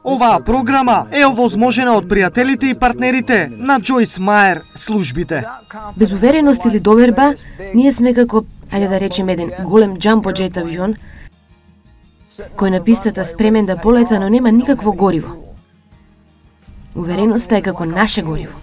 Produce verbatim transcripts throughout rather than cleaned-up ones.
Оваа програма е овозможена од пријателите и партнерите на Джойс Мајер службите. Без увереност или доверба, ние сме како, ајде да речеме, еден голем джамбо джет авион, кој на пистата спремен да полета, но нема никакво гориво. Увереноста е како наше гориво.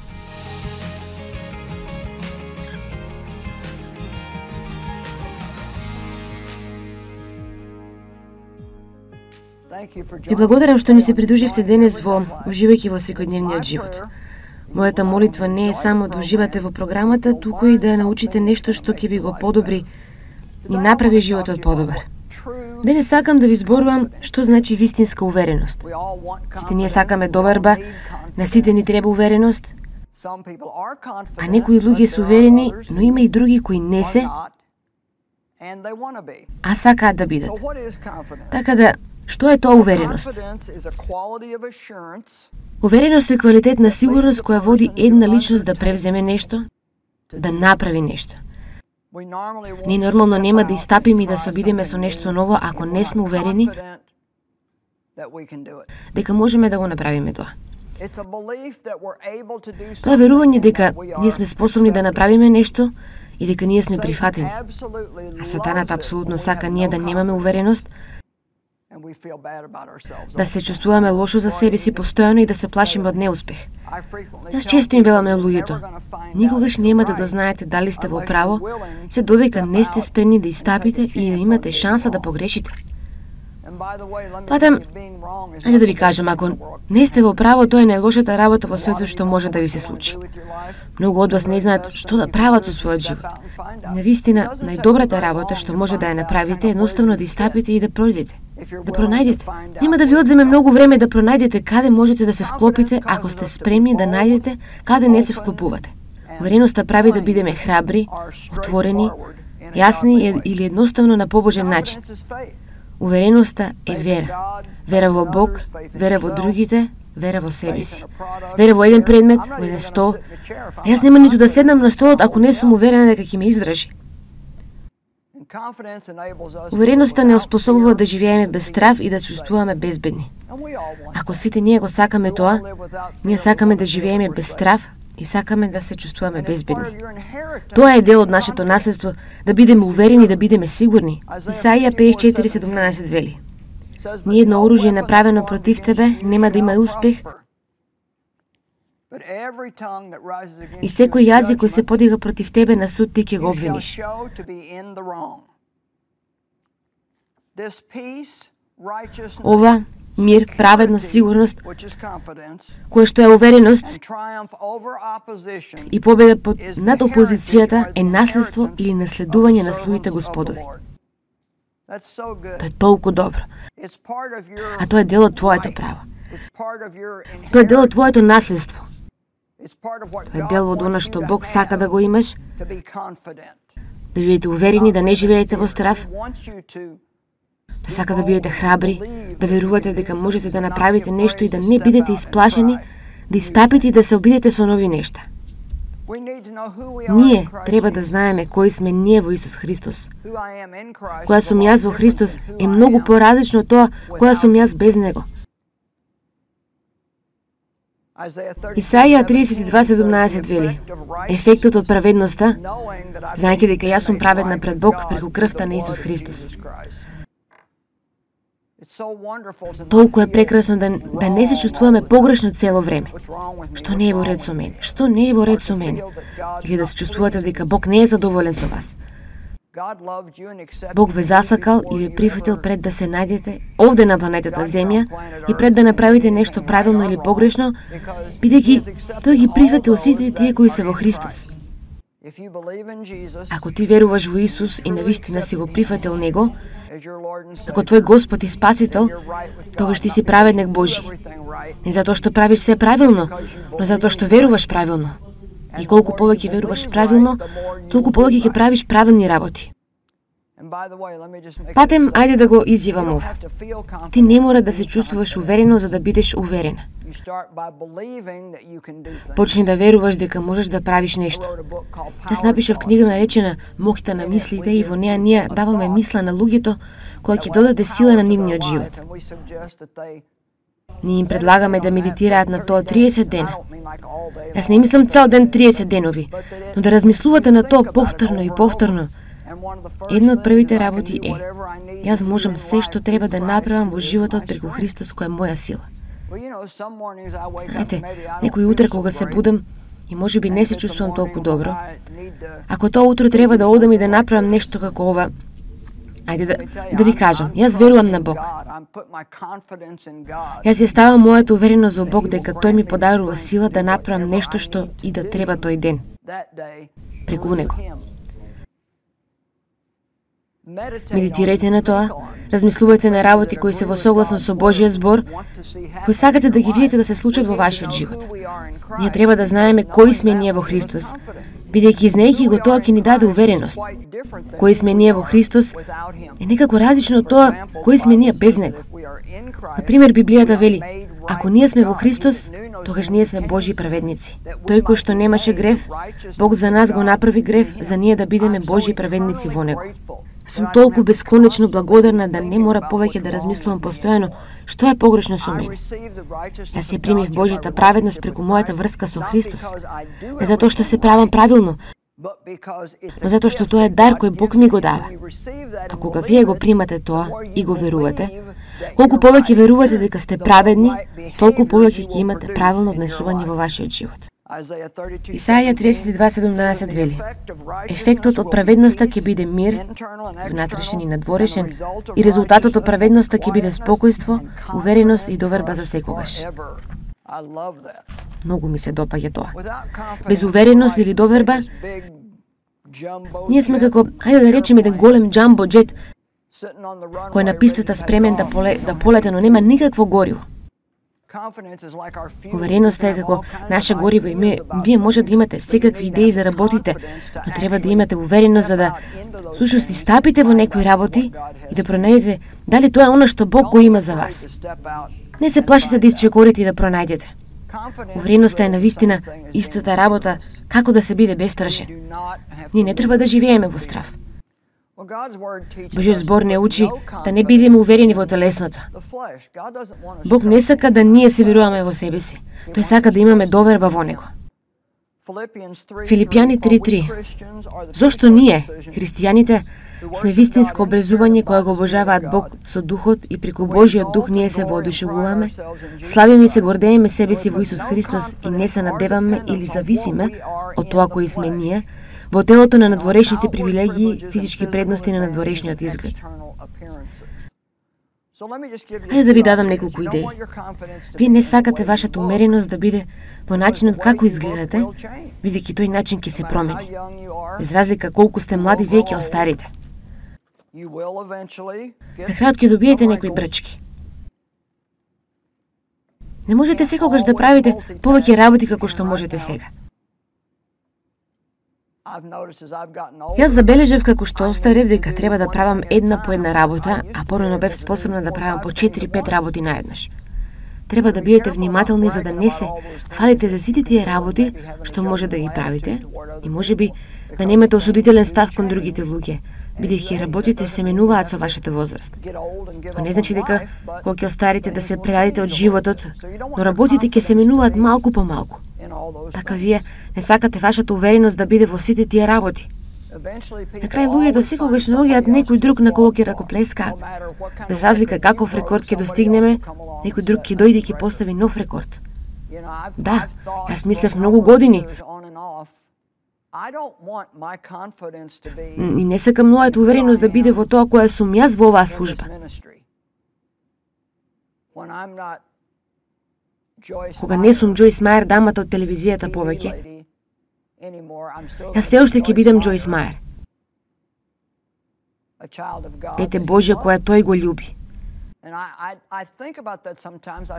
Ви благодарам што ни се придруживте денес во уживајќи во секојдневниот живот. Мојата молитва не е само да уживате во програмата, туку и да научите нешто што ќе ви го подобри и направи животот подобар. Денес сакам да ви зборувам што значи вистинска увереност. Сите ние сакаме доверба, на сите ни треба увереност, а некои луѓе се уверени, но има и други кои не се, а сакаат да бидат. Така да, што е тоа увереност? Увереност е квалитет на сигурност која води една личност да превземе нешто, да направи нешто. Ние нормално нема да истапиме и да се обидеме со нешто ново ако не сме уверени дека можеме да го направиме тоа. Тоа е верување дека ние сме способни да направиме нешто и дека ние сме прифатени. А сатаната апсолутно сака ние да немаме увереност, да се чувствуваме лошо за себе си постојано и да се плашиме од неуспех. Јас често им велам на луѓето: никогаш нема да дознаете дали сте во право, се додека не сте спремни да истапите и да имате шанса да погрешите. Патем, ајде да ви кажам, ако не сте во право, тоа е најлошата работа во светот што може да ви се случи. Многу од вас не знаат што да прават со својот живот. Навистина, најдобрата работа што може да ја направите е едноставно да истапите и да пројдете, да пронајдете. Нема да ви одземе многу време да пронајдете каде можете да се вклопите ако сте спремни да најдете каде не се вклопувате. Увереноста прави да бидеме храбри, отворени, јасни или едноставно на побожен начин. Увереноста е вера. Вера во Бог, вера во другите, вера во себе си. Вера во еден предмет, во еден стол. А јас нема ниту да седнам на столот ако не сум уверена дека ќе ме издржи. Увереноста не оспособува да живееме без страв и да чувствуваме безбедни. Ако сите ние го сакаме тоа, ние сакаме да живееме без страв и сакаме да се чувствуваме безбедни. Тоа е дел од нашето наследство, да бидеме уверени, да бидеме сигурни. Исаија петдесет и четири седумнаесет вели: ниедно оружје направено против тебе нема да има успех, и секој јазик кој се подига против тебе на суд ти ќе го обвиниш. Ова мир, праведност, сигурност, која што е увереност и победа под над опозицијата е наследство или наследување на слугите Господови. Тоа е толку добро. А тоа е дел од твоето право. Тоа е дел од твоето наследство. Тоа е дел од она што Бог сака да го имаш, да бидете уверени, да не живеете во страв. Тој сака да бидете храбри, да верувате дека можете да направите нешто и да не бидете исплашени, да истапите и да се обидете со нови нешта. Ние треба да знаеме кои сме ние во Исус Христос. Која сум јас во Христос е многу поразлично од тоа која сум јас без Него. Исаија тридесет и два седумнаесет вели: ефектот од праведноста, знаејќи дека јас сум праведна пред Бог преку крвта на Исус Христос. Толку е прекрасно да, да не се чувствуваме погрешно цело време. Што не е во ред со мене? Што не е во ред со мене? Или да се чувствувате дека Бог не е задоволен со вас. Бог ве засакал и ве прифатил пред да се најдете овде на планетата Земја и пред да направите нешто правилно или погрешно, бидејќи тој ги прифатил сите тие кои се во Христос. Ако ти веруваш во Исус и навистина си го прифатил Него, како твој Господ и Спасител, тогаш ти си праведник Божи. Не затоа што правиш се правилно, но затоа што веруваш правилно. И колку повеќе веруваш правилно, толку повеќе ќе правиш правилни работи. Патем, ајде да го изјавам ова. Ти не мора да се чувствуваш уверено за да бидеш уверена. Почни да веруваш дека можеш да правиш нешто. Јас напишав книга наречена Моќта на мислите и во неа ние даваме мисла на луѓето која ќе додаде сила на нивниот живот. Ние им предлагаме да медитираат на тоа триесет дена. Јас не мислам цел ден триесет денови, но да размислувате на тоа повторно и повторно. Една од првите работи е: јас можам се што треба да направам во животот преку Христос кој е моја сила. Знаете, некој утре кога се будам и можеби не се чувствувам толку добро, ако тоа утро треба да одам и да направам нешто како ова, ајде да, да ви кажам, јас верувам на Бог. Јас ја ставам мојата увереност во Бог дека Тој ми подарува сила да направам нешто што и да треба тој ден. Преку Него. Медитирајте на тоа, размислувајте на работи кои се во согласно со Божјиот збор, кои сакате да ги видите да се случат во вашиот живот. Ние треба да знаеме кои сме ние во Христос, бидејќи знаејќи го тоа ќе ни даде увереност. Кои сме ние во Христос е некако различно од тоа кои сме ние без Него. Например, Библијата вели: ако ние сме во Христос, тогаш ние сме Божји праведници. Тој кој што немаше грев, Бог за нас го направи грев за ние да бидеме Божји праведници во Него. Сум толку бесконечно благодарна да не мора повеќе да размислувам постојано што е погрешно со мене. Јас ја примив Божјата праведност преку мојата врска со Христос. Не затоа што се правам правилно, но затоа што тоа е дар кој Бог ми го дава. А кога вие го примате тоа и го верувате, колку повеќе верувате дека сте праведни, толку повеќе ќе имате правилно однесување во вашиот живот. Исаја тридесет и два седумнаесет вели: ефектот од праведноста ќе биде мир, внатрешен и надворешен, и резултатот од праведноста ќе биде спокојство, увереност и доверба за секогаш. Многу ми се допаѓа тоа. Без увереност или доверба, ние сме како, ајде да речеме, еден голем джамбо джет кој е на пистата спремен да, поле, да полете, но нема никакво гориво. Увереноста е како наше гориво и ми, вие може да имате секакви идеи за работите, но треба да имате увереност за да слушате стапите во некои работи и да пронајдете дали тоа е она што Бог го има за вас. Не се плашите да исчекорите и да пронајдете. Увереноста е навистина истата работа како да се биде бестрашен. Ние не треба да живееме во страв. Божиот збор не учи да не бидеме уверени во телесното. Бог не сака да ние се веруваме во себе си. Тој сака да имаме доверба во Него. Филипјани три три. Зошто ние, христијаните, сме вистинско образување која го обожаваат Бог со духот и преку Божиот дух ние се воодушевуваме, славиме и се гордееме себе си во Исус Христос и не се надеваме или зависиме од тоа кои сме ние, во телото на надворешните привилегии, физички предности на надворешниот изглед. Хајде да ви дадам неколку идеи. Вие не сакате вашата умереност да биде во начинот како изгледате, бидејќи тој начин ќе се промени. Без разлика колку сте млади, вие ќе остарите. На крајот ќе добиете некои брчки. Не можете секогаш да правите повеќе работи како што можете сега. Јас забележав како што остарев дека треба да правам една по една работа, а порано бев способна да правам по четири-пет работи наеднаш. Треба да бидете внимателни за да не се фалите за сите тие работи што може да ги правите и можеби да немате осудителен став кон другите луѓе, бидејќи работите се менуваат со вашата возраст. Тоа не значи дека кога ќе остарите да се предадите од животот, но работите ќе се менуваат малку по малку. Така вие не сакате вашата увереност да биде во сите тие работи. На крај луѓето секогаш наоѓаат некој друг на кого ќе ракоплескаат. Без разлика каков рекорд ќе достигнеме, некој друг ќе дојде и ќе постави нов рекорд. Да, јас мислев многу години. И не сакам мојата увереност да биде во тоа која сум јас во оваа служба. Кога не сум Джојс Мајер, дамата од телевизијата повеќе, јас се уште ќе бидам Джојс Мајер. Дете Божје која тој го љуби.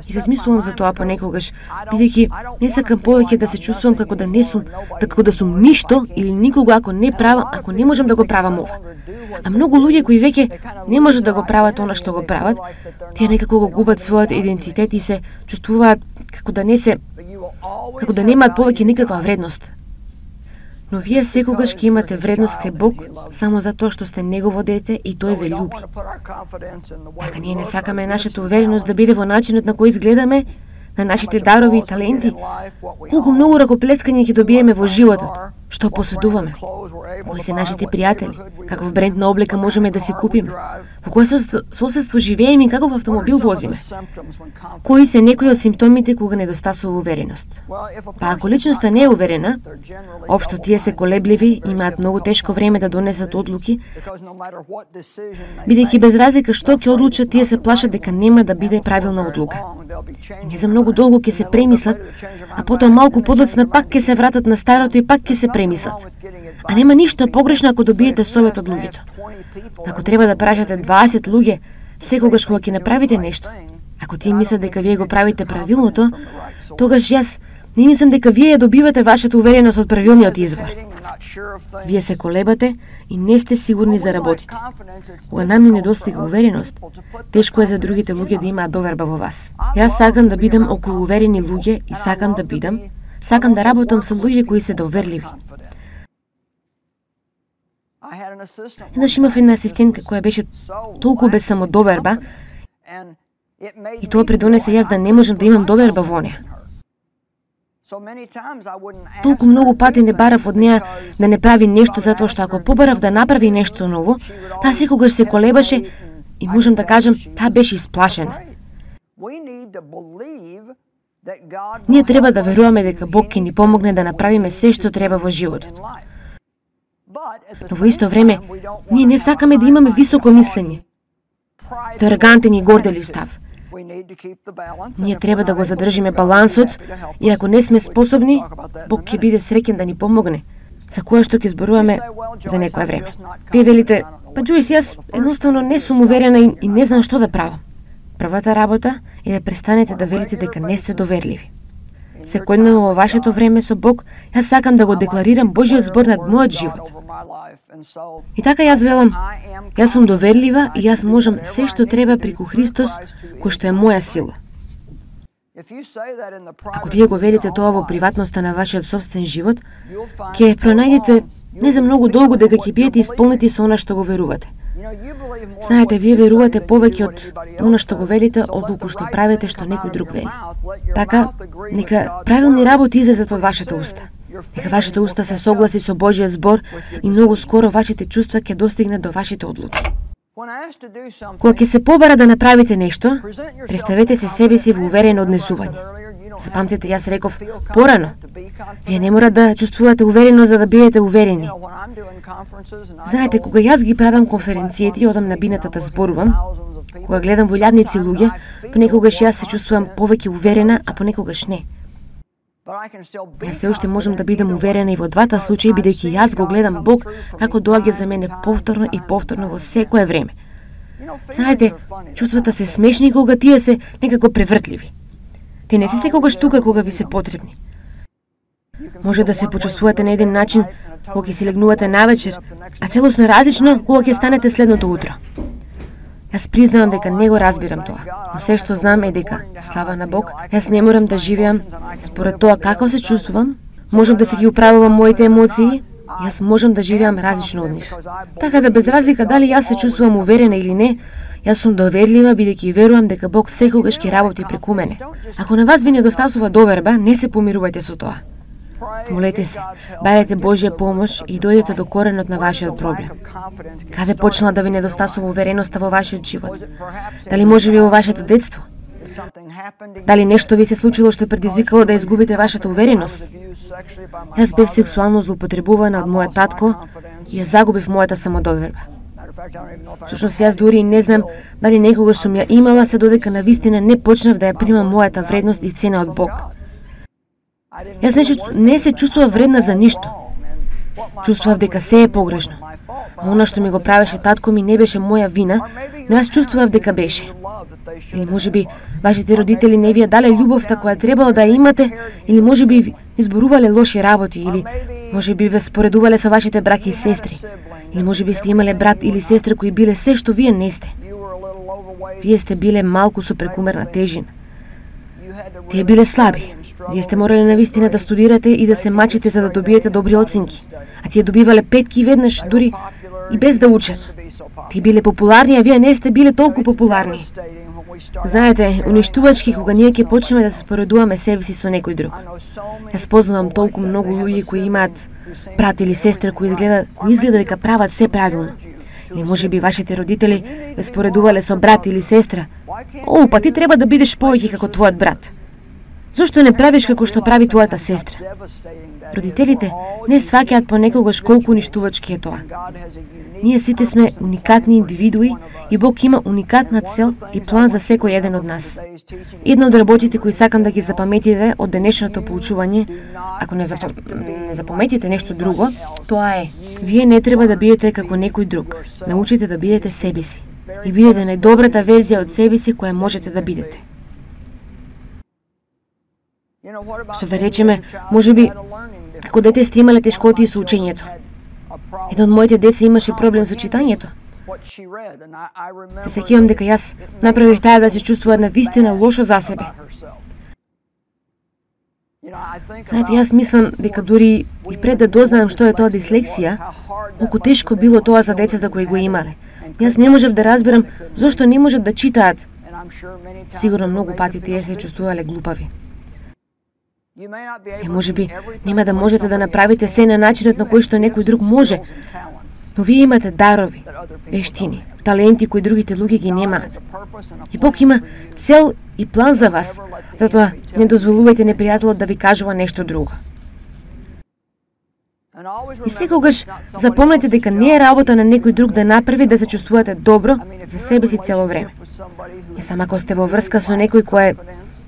И размислувам за тоа понекогаш, бидејќи не сакам повеќе да се чувствувам како да не сум, како да сум ништо или никога ако не правам, ако не можам да го правам ова. А многу луѓе кои веќе не можат да го прават она што го прават, тие некако го губат својот идентитет и се чувствуваат како да не се, како да немаат повеќе никаква вредност. Но вие секогаш ќе имате вредност кај Бог само затоа што сте Негово дете и Тој ве љуби. Така ние не сакаме нашата увереност да биде во начинот на кој изгледаме, на нашите дарови и таленти. Колку многу ракоплескање ќе добиеме во животот, што поседуваме. Кои се нашите пријатели, каков бренд на облека можеме да си купиме, во кое соседство живееме и каков автомобил возиме. Кои се некои од симптомите кога недостасува увереност. Па ако личноста не е уверена, општо тие се колебливи, имаат многу тешко време да донесат одлуки, бидејќи без разлика што ќе одлучат, тие се плашат дека нема да биде правилна одлука. И не за многу долго ќе се премислат, а потоа малку подоцна пак ќе се вратат на старото и пак ќе се премислат. А нема ништо погрешно ако добиете совет од луѓето. Ако треба да прашате дваесет луѓе секогаш кога ќе направите нешто, ако тие мислат дека вие го правите правилното, тогаш јас не мислам дека вие ја добивате вашата увереност од правилниот извор. Вие се колебате и не сте сигурни за работите. Кога нам ни недостига увереност, тешко е за другите луѓе да имаат доверба во вас. Јас сакам да бидам околу уверени луѓе и сакам да бидам, сакам да работам со луѓе кои се доверливи. Еднаш имав една асистентка која беше толку без самодоверба и тоа придонесе јас да не можам да имам доверба во неа. Толку многу пати не барав од неа да не прави нешто затоа што ако побарав да направи нешто ново, таа секогаш се колебаше и можам да кажам, таа беше исплашена. Ние треба да веруваме дека Бог ќе ни помогне да направиме се што треба во животот. Но во исто време, ние не сакаме да имаме високо мислење, арогантен и горделив став. Ние треба да го задржиме балансот и ако не сме способни, Бог ќе биде среќен да ни помогне, за кое што ќе зборуваме за некое време. Вие велите, па Джојс, јас едноставно не сум уверена и, и не знам што да правам. Првата работа е да престанете да велите дека не сте доверливи. Секојдневно во вашето време со Бог, јас сакам да го декларирам Божиот збор над мојот живот. И така јас велам, јас сум доверлива и јас можам се што треба преку Христос, кој што е моја сила. Ако вие го велите тоа во приватноста на вашиот собствен живот, ќе пронајдете не за многу долго дека ќе биете исполнети со она што го верувате. Знаете, вие верувате повеќе од она што го велите, отколку што правите што некој друг вели. Така, нека правилни работи излезат од вашата уста. Нека вашите уста се согласи со Божиот збор и многу скоро вашите чувства ќе достигнат до вашите одлуки. Кога ќе се побара да направите нешто, представете се себе си во уверено однесување. Запамтете, јас реков порано, вие не мора да чувствувате уверено за да бидете уверени. Знаете, кога јас ги правам конференцијите и одам на бината да зборувам, кога гледам во илјадници луѓе, понекогаш јас се чувствувам повеќе уверена, а понекогаш не. Јас се уште можам да бидам уверена и во двата случаи, бидејќи јас го гледам Бог како доаѓа за мене повторно и повторно во секое време. Знаете, чувствата се смешни кога тие се некако превртливи. Те не се секогаш тука кога ви се потребни. Може да се почувствувате на еден начин кога ќе си легнувате навечер, а целосно различно кога ќе станете следното утро. Јас признавам дека не го разбирам тоа, но се што знам е дека, слава на Бог, јас не морам да живеам според тоа како се чувствувам, можам да си ги управувам моите емоции, јас можам да живеам различно од нив. Така да без разлика дали јас се чувствувам уверена или не, јас сум доверлива бидејќи верувам дека Бог секогаш ќе работи преку мене. Ако на вас ви недостасува доверба, не се помирувајте со тоа. Молете се, барете Божја помош и дојдете до коренот на вашиот проблем. Каде почнала да ви недостасува увереноста во вашиот живот? Дали можеби во вашето детство? Дали нешто ви се случило што предизвикало да изгубите вашата увереност? Јас бев сексуално злоупотребувана од мојот татко и ја загубив мојата самодоверба. Всушност јас дури и не знам дали некогаш сум ја имала, се додека навистина не почнав да ја примам мојата вредност и цена од Бог. Јас не, не се чувствував вредна за ништо. Чувствував дека се е погрешно. А она што ми го правеше татко ми не беше моја вина, но јас чувствував дека беше. Или можеби вашите родители не ви ја дале љубовта која требало да ја имате, или можеби ви изборувале лоши работи, или можеби ве споредувале со вашите браќа и сестри, или можеби сте имале брат или сестра кои биле се што вие не сте. Вие сте биле малку со прекумерна тежина. Тие биле слаби. Вие сте морале навистина да студирате и да се мачите за да добиете добри оценки. А тие добивале петки веднаш, дури и без да учат. Тие биле популарни, а вие не сте биле толку популарни. Знаете, уништувачки кога ние ќе почнеме да се споредуваме себе си со некој друг. Јас познавам толку многу луѓе кои имаат брат или сестра кои изгледа, кои изгледа дека прават се правилно. Или може би вашите родители ве споредувале со брат или сестра. О, па ти треба да бидеш повеќе како твојот брат. Зошто не правиш како што прави твојата сестра? Родителите не сваќаат понекогаш колку уништувачки е тоа. Ние сите сме уникатни индивидуи и Бог има уникатна цел и план за секој еден од нас. Една од работите кои сакам да ги запаметите од денешното поучување, ако не, запам... не запаметите нешто друго, тоа е: вие не треба да бидете како некој друг. Научите да бидете себе си и бидете најдобрата верзија од себе си која можете да бидете. Што да речеме, може би, како дете сте имале тешкоти со учењето. Едно од моите деца имаше проблем со читањето. Се сеќавам дека јас направив таа да се чувствува навистина лошо за себе. Знаете, јас мислам дека дури и пред да дознаам што е тоа дислексија, колку тешко било тоа за децата кои го имале. Јас не можев да разберам зошто не можат да читаат. Сигурно многу пати тие се чувствувале глупави. Е, може би, нема да можете да направите се на начинот на кој што некој друг може, но вие имате дарови, вештини, таленти кои другите луѓе ги немаат. И Бог има цел и план за вас, затоа не дозволувајте непријателот да ви кажува нешто друго. И секогаш запомнете дека не е работа на некој друг да направи да се чувствувате добро за себе си цело време. И сама ако сте во врска со некој кој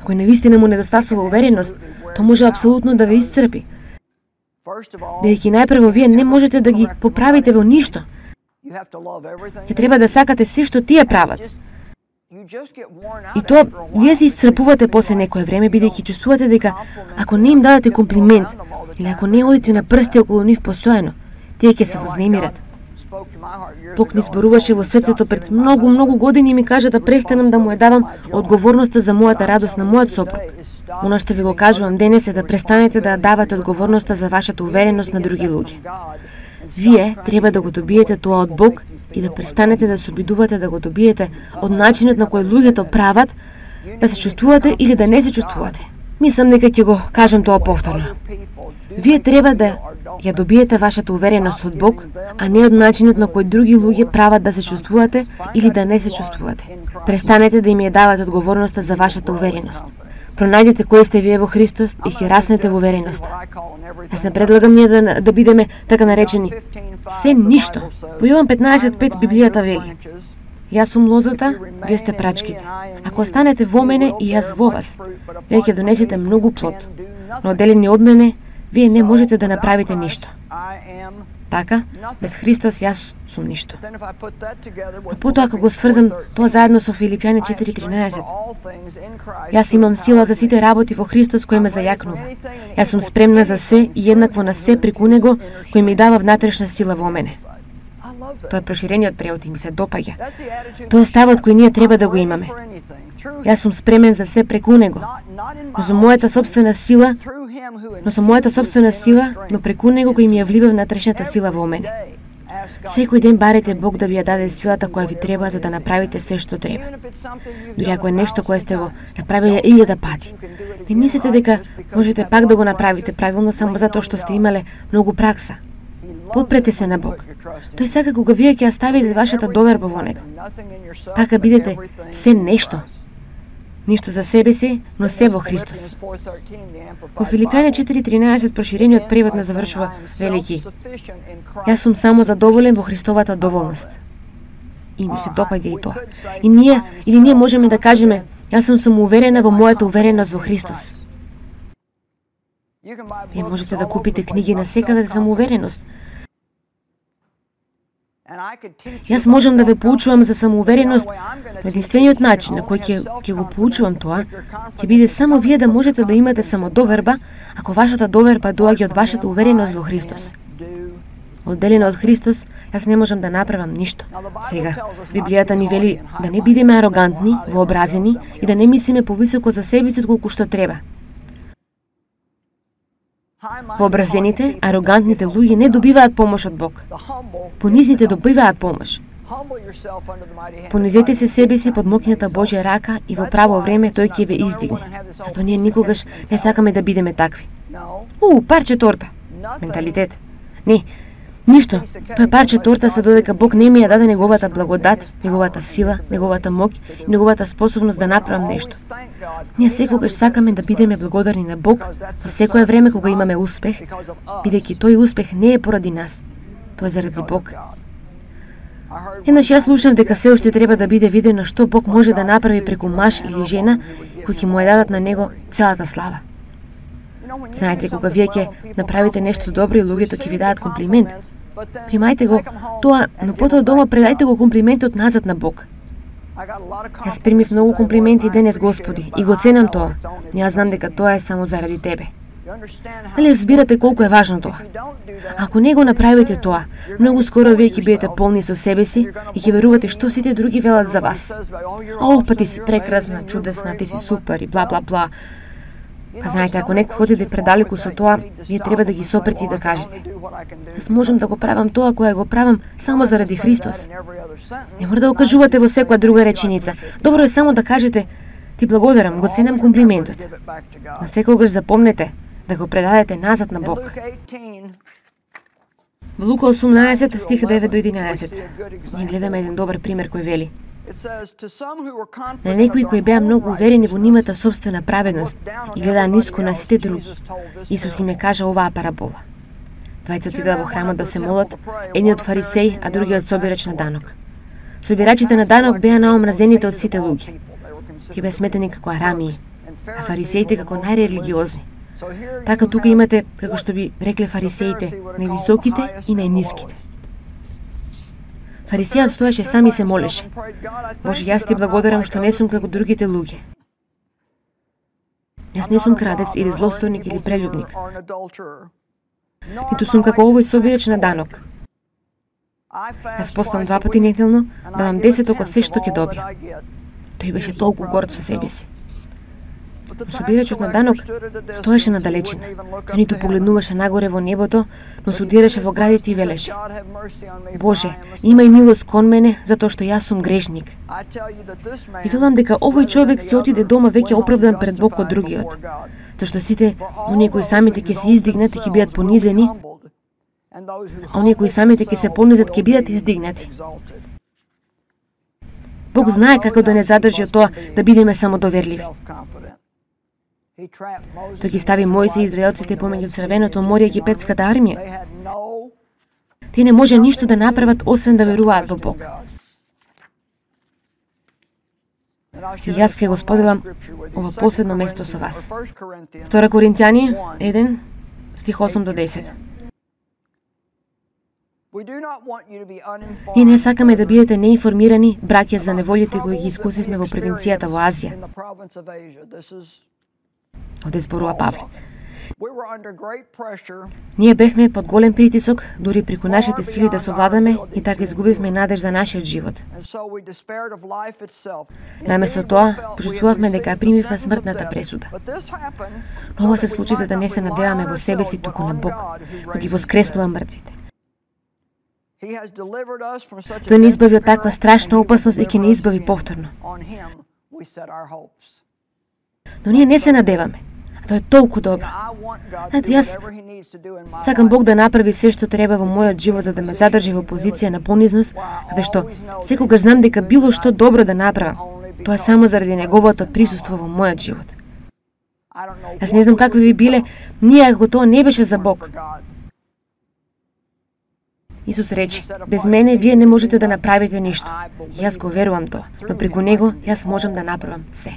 кој навистина му недостасува увереност, тоа може апсолутно да ве исцрпи. Бидејќи најпрво вие не можете да ги поправите во ништо. Ќе треба да сакате се што тие прават. И тоа вие се исцрпувате после некое време, бидејќи чувствувате дека ако не им дадете комплимент или ако не одите на прсти околу нив постојано, тие ќе се вознемират. Бог ми зборуваше во срцето пред многу, многу години и ми кажа да престанам да му ја давам одговорноста за мојата радост на мојот сопруг. Оно што ви го кажувам денес е да престанете да давате одговорноста за вашата увереност на други луѓе. Вие треба да го добиете тоа од Бог и да престанете да се обидувате да го добиете од начинот на кој луѓето прават, да се чувствувате или да не се чувствувате. Мислам дека ќе го кажам тоа повторно. Вие треба да ја добиете вашата увереност од Бог, а не од начинот на кој други луѓе прават да се чувствувате или да не се чувствувате. Престанете да им ја давате одговорноста за вашата увереност. Пронајдете кој сте вие во Христос и ќе раснете во увереноста. Јас не предлагам ние да, да бидеме така наречени се ништо. Во Јован петнаесет пет Библијата вели: Јас сум лозата, вие сте прачките. Ако останете во мене и јас во вас, вие ќе донесете многу плод. Но одделени од мене, вие не можете да направите ништо. Така, без Христос јас сум ништо. А потоа ако го сврзам тоа заедно со Филипјани четири тринаесет, јас имам сила за сите работи во Христос кој ме зајакнува. Јас сум спремна за се и еднакво на се преку Него кој ми дава внатрешна сила во мене. Тоа е проширениот превод и ми се допаѓа. Тоа е ставот кој ние треба да го имаме. Јас сум спремен за се преку Него, но за мојата собствена сила, но со мојата собствена сила, но преку Него кој ми ја влива внатрешната сила во мене. Секој ден барете Бог да ви ја даде силата која ви треба за да направите се што треба. Дури ако е нешто кое сте го направиле илјада пати, не мислите дека можете пак да го направите правилно само затоа што сте имале многу пракса. Подпрете се на Бог. Тој сака кога вие ќе ја ставите вашата доверба во Него. Така бидете се нешто. Ништо за себе си, но се во Христос. Во Филипјани четири тринаесет проширениот превод на завршува велики: Јас сум само задоволен во Христовата доволност. И ми се допаѓа и тоа. И ние, или ние можеме да кажеме: Јас сум самоуверена во мојата увереност во Христос. Вие можете да купите книги на секаде за самоувереност. Јас можам да ве поучувам за самоувереност, но единствениот начин на кој ќе, ќе го поучувам тоа, ќе биде само вие да можете да имате самодоверба, ако вашата доверба доаѓа од вашата увереност во Христос. Одделена од Христос, јас не можам да направам ништо. Сега, Библијата ни вели да не бидеме арогантни, вообразени и да не мислиме повисоко за себе си отколку што треба. Вообразените, арогантните луѓе не добиваат помош од Бог. Понизните добиваат помош. Понизете се себе си под моќната Божја рака и во право време тој ќе ве издигне. Затоа ние никогаш не сакаме да бидеме такви. У, парче торта. Менталитет. Не, ништо. Тоа е парче торта со додека Бог не ми ја даде неговата благодат, неговата сила, неговата моќ и неговата способност да направам нешто. Ние секогаш сакаме да бидеме благодарни на Бог во секое време кога имаме успех, бидејќи тој успех не е поради нас, тоа е заради Бог. Еднаш јас слушам дека се уште треба да биде видено што Бог може да направи преку маж или жена кои ќе му ја дадат на него целата слава. Знаете, кога вие ќе направите нешто добро и луѓето ќе ви дадат комплимент, примајте го тоа, но потоа дома предајте го комплиментот назад на Бог. Јас примив многу комплименти денес, Господи, и го ценам тоа. Јас знам дека тоа е само заради Тебе. Дали разбирате колку е важно тоа? Ако не го направите тоа, многу скоро вие ќе бидете полни со себе си и ќе верувате што сите други велат за вас. Ох, па ти си прекрасна, чудесна, ти си супер и бла бла бла. Па знаете, ако некој отиде предалеку со тоа, вие треба да ги сопрете и да кажете: јас можам да го правам тоа кое го правам само заради Христос. Не мора да го кажувате во секоја друга реченица. Добро е само да кажете: ти благодарам, го ценам комплиментот. На секогаш запомнете да го предадете назад на Бог. Во Лука осумнаесет стих девет до единаесет ние гледаме еден добар пример кој вели: на некои кои беа многу уверени во нивната собствена праведност и гледаа ниско на сите други, Исус им е кажа оваа парабола. Двајца отидоа во храмот да се молат, едниот фарисеј, а другиот собирач на данок. Собирачите на данок беа наомразените од сите луѓе. Тие беа сметени како арамии, а фарисеите како најрелигиозни. Така тука имате, како што би рекле фарисеите, највисоките и најниските. Фарисејот стоеше сам и се молеше: Боже, јас ти благодарам што не сум како другите луѓе. Јас не сум крадец или злосторник или прелюбник. Ниту сум како овој собирач на данок. Јас постам два пати неделно, давам десеток од се што ќе добија. Тој беше толку горд со себе си. Собирачот на данок стоеше на далечина. Тој ниту погледнуваше нагоре во небото, но се удираше во градите и велеше: Боже, имај милост кон мене, затоа што јас сум грешник. И велам дека овој човек си отиде дома веќе оправдан пред Бог од другиот, тоа што сите оние кои самите ќе се издигнат и ќе бидат понизени, а оние кои самите ќе се понизат ќе бидат издигнати. Бог знае како да не задржи од тоа да бидеме самодоверливи. Тој ги стави Мојсе и израелците помеѓу Црвеното море и египетската армија. Тие не може ништо да направат освен да веруваат во Бог. И јас ќе го споделам ова последно место со вас. Втора Коринтјани еден, стих осум до десет. Ние не сакаме да бидете неинформирани, браќа, за неволите кои ги искусивме во провинцијата во Азија. Овде зборува Павле. Ние бевме под голем притисок, дури преку нашите сили да совладаме, и така изгубивме надеж за нашиот живот. Наместо тоа, почувствувавме дека примивме смртната пресуда. Но ова се случи за да не се надеваме во себе си, туку на Бог, кој ги воскреснува мртвите. Тој не избави од таква страшна опасност и ќе не избави повторно. Но ние не се надеваме. А тоа е толку добро. Знаете, јас сакам Бог да направи се што треба во мојот живот за да ме задржи во позиција на понизност, каде што секогаш знам дека било што добро да направам, тоа е само заради неговото присуство во мојот живот. Јас не знам какви би биле ние ако тоа не беше за Бог. Исус рече: без мене вие не можете да направите ништо. Јас го верувам тоа, но преку него јас можам да направам се.